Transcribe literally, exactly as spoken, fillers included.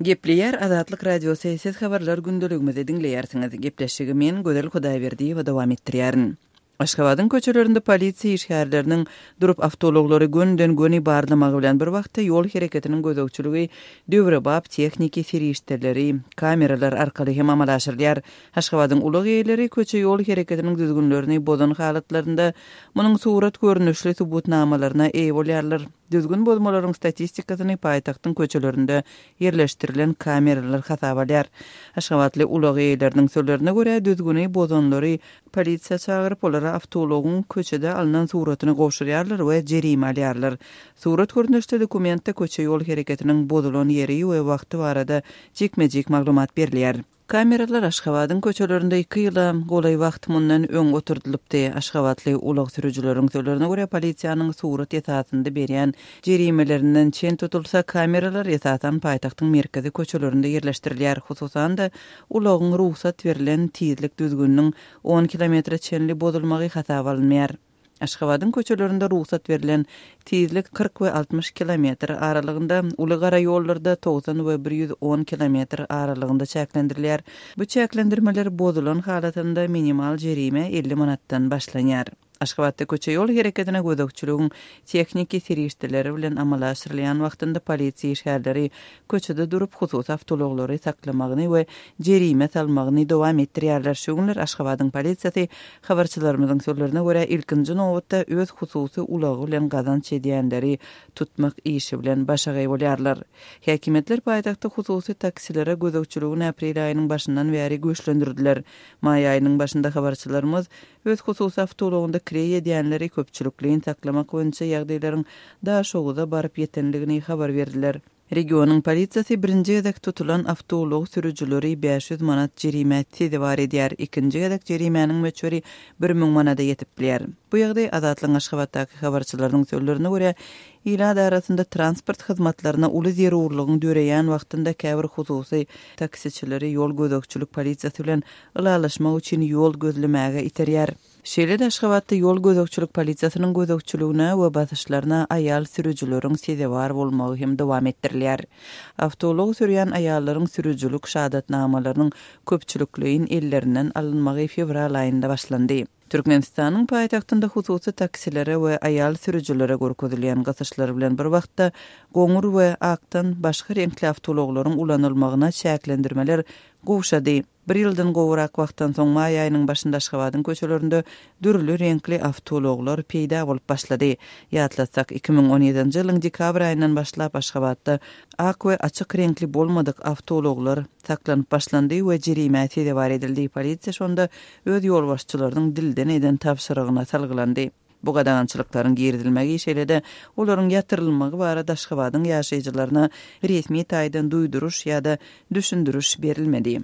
Gepleýär Azatlyk Radiosy, siz habarlar gündeligimizi diňleýärsiňiz. Gepleşigi men Gözel Hudaýberdiýewa dowam etdirýärin. Aşgabadyň köçelerinde polisiýa işgärleriniň durup awtoulaglary gönden-göni barlamagy bilen bir wagtda ýol hereketiniň gözegçiligi döwrebap tehniki serişdeleri, kameralar arkaly hem amala aşyrylýar. Aşgabadyň ulag eýeleri köçe ýol hereketiniň düzgünlerini bozan halatlarynda munuň surat görnüşli subutnamalaryna eýe bolýarlar. Düzgün bozmalaryň statistikasyny paýtagtyň köçelerinde ýerleşdirilen kameralar hasap alýar. Aşgabatly ulag eýeleriniň sözlerine görä düzgüni bozanlary polisiýa çagyryp olara awtoulagyň köçede alnan suratyny gowşurýarlar we jerime alýarlar. Surat görnüşli dokumentde köçe ýol hereketiniň bozulan ýeri we wagty barada jikme-jik maglumat berilýär. Kameralar Aşgabadyň köçelerinde iki ýyla golaý wagt mundan öň oturdylypdy. Aşgabatly ulag sürüjileriň sözlerine görä polisiýanyň surat esasynda berýän jerimelerinden çen tutulsa kameralar esasan paýtagtyň merkezi köçelerinde ýerleşdirilýär. Hususan-da ulagyň rugsat berlen tizlik düzgüniniň on kilometre çenli bozulmagy hasaba alynmaýar. Aşgabadyň köçelerinde rugsat berlen tizlik kyrk we altmyş kilometr aralygynda, uly gara ýollarda togsan we bir ýüz on kilometr aralygynda çäklendirilýär. Bu çäklendirmeler bozulan halatynda minimal jerime elli manatdan başlanýar. Aşgabatda köçe ýol hereketine gözegçiligiň tehniki serişdeleri bilen amala aşyrylýan wagtynda polisiýa işgärleri köçede durup hususy awtoulaglary saklamagyny we jerime salmagyny dowam etdirýärler. Şu günler Aşgabadyň polisiýasy habarçylarymyzyň sözlerine görä ilkinji nobatda öz hususy ulagy bilen gazanç edýänleri tutmak işi bilen başagaý bolýarlar. Häkimiýetler paýtagtda hususy taksilere gözegçiligini aprel aýynyň başyndan bäri güýçlendirdiler. Maý aýynyň başynda habarçylarymyz öz hususy awtoulagynda kireý edýänleri köpçülikleýin saklamak boýunça ýagdaýlaryň Daşoguza baryp ýetenligini habar berdiler. Regionyň polisiýasy birinji gezek tutulan awtoulag sürüjileri bäş ýüz manat jerime sezewar edýär. Ikinji gezek jerimäniň möçberi bir müň manada ýetip bilýär. Bu ýagdaý Azatlygyň Aşgabatdaky habarçylarynyň sözlerine görä, ilat arasynda transport hyzmatlaryna uly zerurlygyň döreýän wagtynda käbir hususy taksiçileri ýol gözegçilik polisiýasy bilen ylalaşmak üçin ýol gözlemäge iterýär. Şeýle-de Aşgabatda ýol gözegçilik polisiýasynyň gözegçiligine we basyşlaryna aýal sürüjileriň sezewar bolmagy hem dowam etdirilýär. Awtoulag sürýän aýallaryň sürüjilik şahadatnamalarynyň köpçülikleýin ellerinden alynmagy fewral aýynda başlandy. Türkmenistanyň paýtagtynda hususy taksilere we aýal sürüjilere görkezilýän gysyşlar bilen bir wagtda goňur we akdan başga reňkli awtoulaglaryň ulanylmagyna çäklendirmeler gowşady. Bir ýyldan gowrak wagtdan soň maý aýynyň başynda Aşgabadyň köçelerinde dürli reňkli awtoulaglar peýda bolup başlady. Ýatlatsak, iki müň on ýedinji ýylyň dekabr aýyndan başlap Aşgabatda ak we açyk reňkli bolmadyk awtoulaglar saklanyp başlandy we jerime sezewar edildi. Polisiýa şonda öz ýolbaşçylarynyň dilden eden tabşyrygyna salgylandy. Bu gadagançylyklaryň girizilmegi şeýle-de olaryň ýatyrylmagy barada Aşgabadyň ýaşaýjylaryna resmi taýdan duýduryş ýa-da düşündiriş berilmedi.